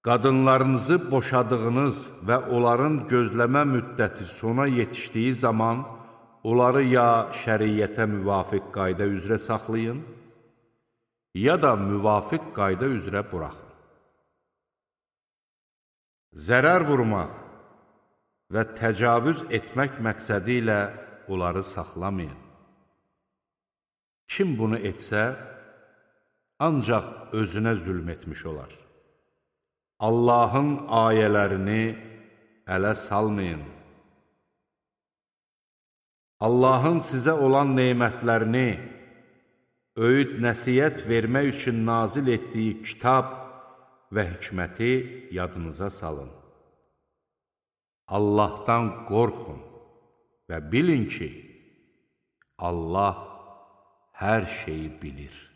Qadınlarınızı boşadığınız və onların gözləmə müddəti sona yetişdiyi zaman, onları ya şəriyyətə müvafiq qayda üzrə saxlayın, ya da müvafiq qayda üzrə buraxın. Zərər vurmaq və təcavüz etmək məqsədi ilə onları saxlamayın. Kim bunu etsə, ancaq özünə zülm etmiş olar. Allahın ayələrini ələ salmayın. Allahın sizə olan nemətlərini, öyüd nəsiyyət vermək üçün nazil etdiyi kitab və hikməti yadınıza salın. Allahdan qorxun və bilin ki, Allah hər şeyi bilir.